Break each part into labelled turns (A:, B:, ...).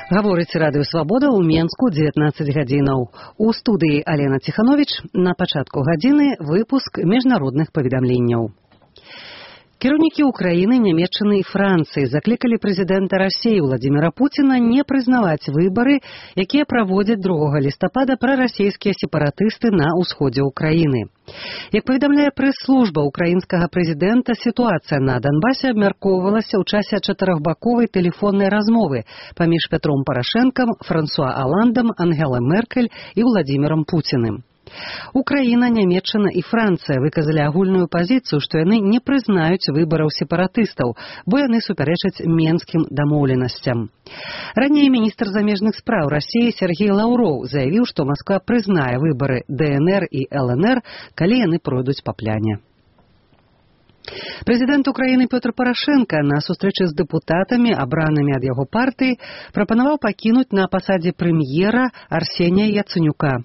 A: Гаворыць Радыё Свабода ў Менску 19 гадзінаў. У студыі Алена Ціханович. На пачатку гадзіны выпуск міжнародных паведамленняў. Кіраўнікі Украіны, Нямецчыны і Францыі заклікалі прэзідэнта Расіі Владзіміра Пуціна не прызнаваць выбары, якія праводзяць 2 лістапада прарасійскія сепаратысты на ўсходзе Украіны. Як паведамляе прэс-служба украінскага прэзідэнта, сітуацыя на Донбасе абмяркоўвалася ў часе 4-баковай тэлефоннай размовы паміж Петром Парашэнкам, Франсуа Аландам, Ангелай Меркель і Владзімірам Пуціным. Украіна, Нямецчына і Францыя выказалі агульную пазіцыю, што яны не прызнаюць выбараў сепаратыстаў, бо яны супярэчаць менскім дамоўленасцям. Раней міністр замежных спраў Расіі Сергей Лаўроў заявіў, што Масква прызнае выбары ДНР і ЛНР, калі яны пройдуць па пляне. Прэзідэнт Украіны Пётр Парашэнка на сустрэчы з дэпутатамі, абранымі ад яго партыі, прапанаваў пакінуць на пасадзе прэм'ера Арсенія Яцэнюка.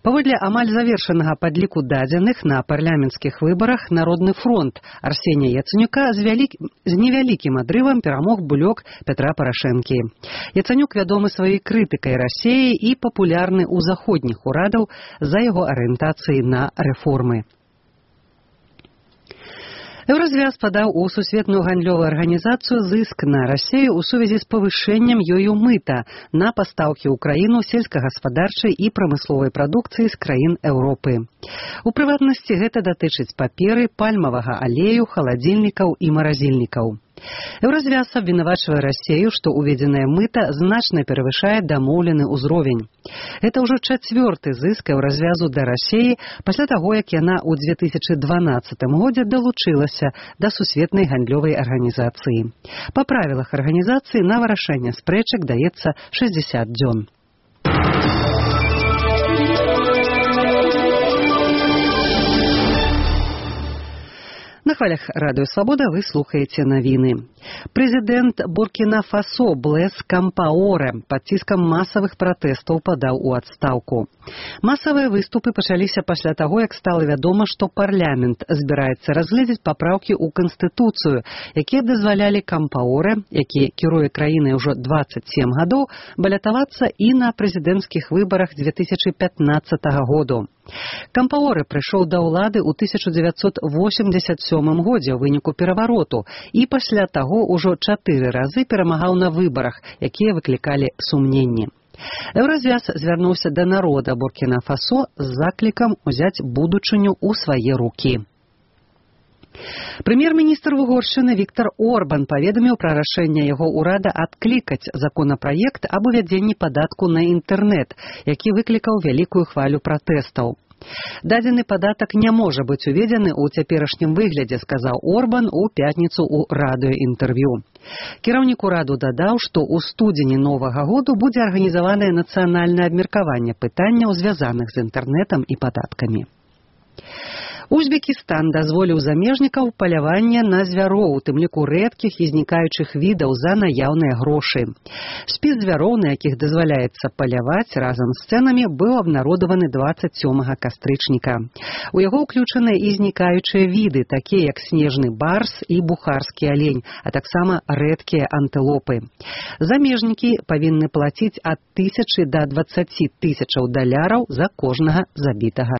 A: Паводле амаль завершанага падліку дадзеных на парламенцкіх выбарах Народны фронт Арсенія Яцэнюка з невялікім адрывам перамог булёк Петра Парашэнкі. Яцэнюк вядомы сваёй крытыкай Расіі і папулярны ў заходніх урадаў за яго арыентацыі на рэформы. Еўразвяз падаў у сусветную гандлёвую арганізацыю зыск на Расію ў сувязі з павышэннем ёю мыта на пастаўкі ў краіну сельскагаспадарчай і прамысловай прадукцыі з краін Еўропы. У прыватнасці гэта датычыць паперы, пальмавага алею, халадзільнікаў і маразільнікаў. Еўразвяз абвінавачвае Расію, што уведзенае мыта значна перавышае дамоўлены ўзровень. Гэта ўжо 4-ты зыск Еўразвязу да Расіі пасля таго, як яна ў 2012 годзе далучылася да сусветнай гандлёвай арганізацыі. Па правілах арганізацыі на вырашэнне спрэчак даецца 60 дзён. На хвалях Радыё Свабода вы слухаеце навіны. Прэзідэнт Буркіна-Фасо Блэс Кампаорэ пад ціскам масавых пратэстаў падаў у адстаўку. Масавыя выступы пачаліся пасля таго, як стала вядома, што парламент збіраецца разгледзець папраўкі ў Канстытуцыю, якія дазвалялі Кампаорэ, які кіруе краінай ужо 27 гадоў, балятавацца і на прэзідэнцкіх выбарах 2015 году. Кампаорэ прыйшоў да ўлады ў 1987 годзе ў выніку перавароту і пасля таго ўжо 4 разы перамагаў на выбарах, якія выклікалі сумненні. Еўразвяз звярнуўся да народа Буркіна-Фасо з заклікам узяць будучыню ў свае рукі. Прэм'ер-міністр Угоршчыны Віктар Орбан паведаміў пра рашэнне яго ўрада адклікаць законапраект аб увядзенні падатку на інтэрнэт, які выклікаў вялікую хвалю пратэстаў. Дадзены падатак не можа быць уведзены ў цяперашнім выглядзе, сказаў Орбан у пятніцу ў радыёінтэрв'ю. Кіраўнік ураду дадаў, што ў студзені новага году будзе арганізаванае нацыянальнае абмеркаванне пытанняў, звязаных з інтэрнэтам і падаткамі. Узбекістан дазволіў замежнікаў паляванне на звяроў, у тым ліку рэдкіх і знікаючых відаў за наяўныя грошы. Спіс звяроў, на якіх дазваляецца паляваць разам з цэнамі, быў абнародаваны 27 кастрычніка. У яго ўключаныя і знікаючыя віды, такія як снежны барс і бухарскі алень, а таксама рэдкія антылопы. Замежнікі павінны плаціць ад 1000 да 20 000 даляраў за кожнага забітага